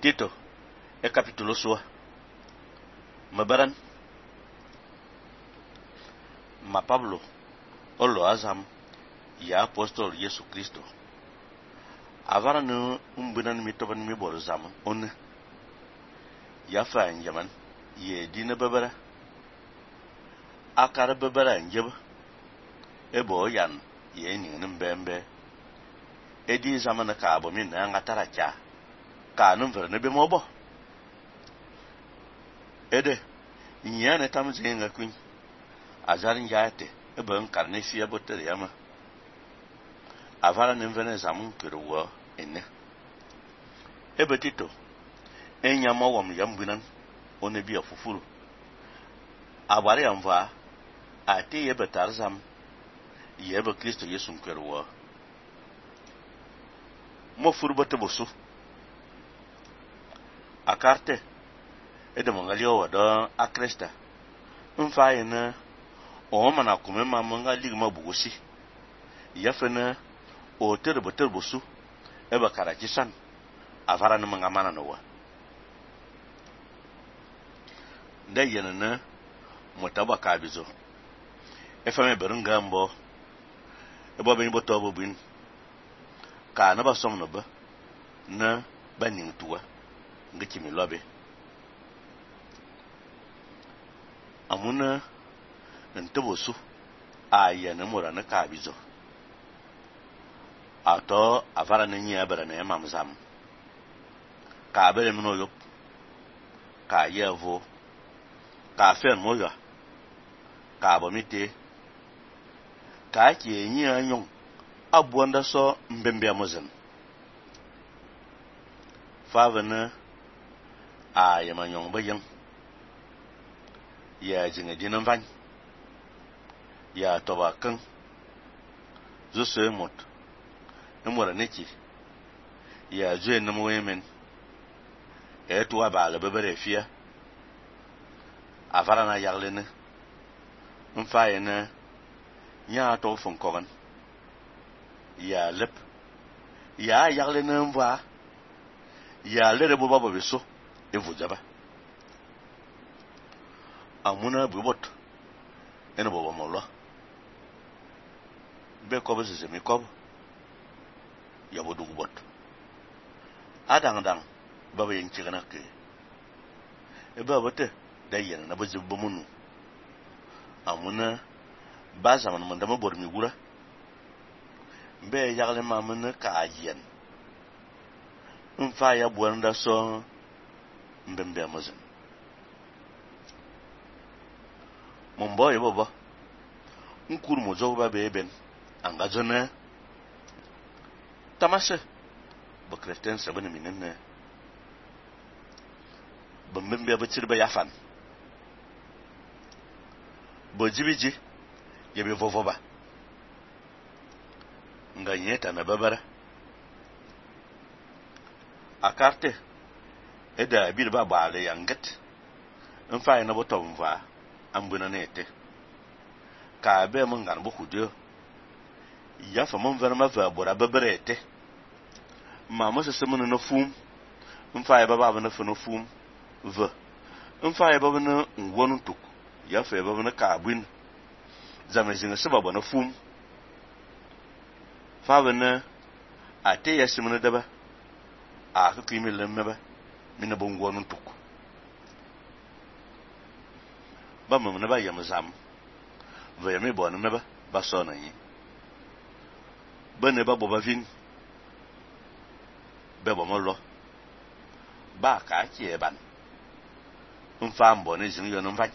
Tito, e capítulo sua. Mabaran. Ma Pablo, olo azam, ya apóstolo Yesu Cristo. Avara no umbunan mi toban mi bol zam, on. Ya fa njaman, ye dina babara. Akara babara njeba. Ebo yan, ye ni mbembe. Edi zamana ka abo mi na ngatara cha. Ka numver ne be mobo. Ede, nyane tam zinga kun. Azarin jate, ebe nkarne fia botere yama. Avara nemvene zamun kiruwa ene. Ebe Tito, enyama wam yambunan, one biya fufuru. Abare yamva, ate yebe tarzam, yebe Kristo Yesu kiruwa. Mo furu bote bosu. Akarte, ede mongalio wada akresta. Mfa ene, o mana kume manga ligma bugosi. Yafene, o terbo su, eba karachisan, avara na mga mana nowa. Da yenene, motaba kabizo. Efame berunga mbo, eba bini botobo bin, ka na ba som no ba, na baning tuwa, nga kimi lobe. Amuna, ntebo su, ayene mora na kabizo. Ato avara nenye abara na mamzam. Ka abere mno yop. Ka yevo. Ka fen moya. Ka abomite. Ka ki enyi anyong. Abuanda so mbembe amozen. Favene a yemanyong bayang. Ya jinga dinan van. Ya tobakan. Zose mot. Numora neki ya zue na mwemen tuwa ba la bebere fia avara na yaglene mfa na nya to fon kogan ya lep ya yaglene mva ya lere bo babo beso evujaba amuna bubot ene bobo mollo be ko bezeze mi ko yabo dugu bot adang baba yin cigana ke e baba te da yen na bazu bomunu amuna ba zaman man dama bor mi gura be yagle mamuna ka ajen mfa ya buanda so mbembe amazon mombo e baba nkur mo zo ba be ben angazona Tamase, ba Christian sabane minenne. Ba mbembe abatir ba yafan. Ba jibiji, yabe vovoba. Nga nyeta na babara. Akarte, eda abir ba baale yanget. Mfa na botom va, ambuna nete. Ka abe mungan bo kudio. Yafa mon verma va bora babarete. Mama se semene no fum. Mfa baba na fo fum. V. Mfa baba na ngwonu tuk. Yafa baba na kabwin. Zamezinga se baba na fum. Fa bana ate ya semene daba. A ka kimi lemmeba. Mina bo ngwonu tuk. Ba mamna ba yamzam. Va yame bo na neba ba sona yi. Bene ba boba vin. Bebo molo. Ba ka ki eban. Mfa mbo ne zin yo no mfa.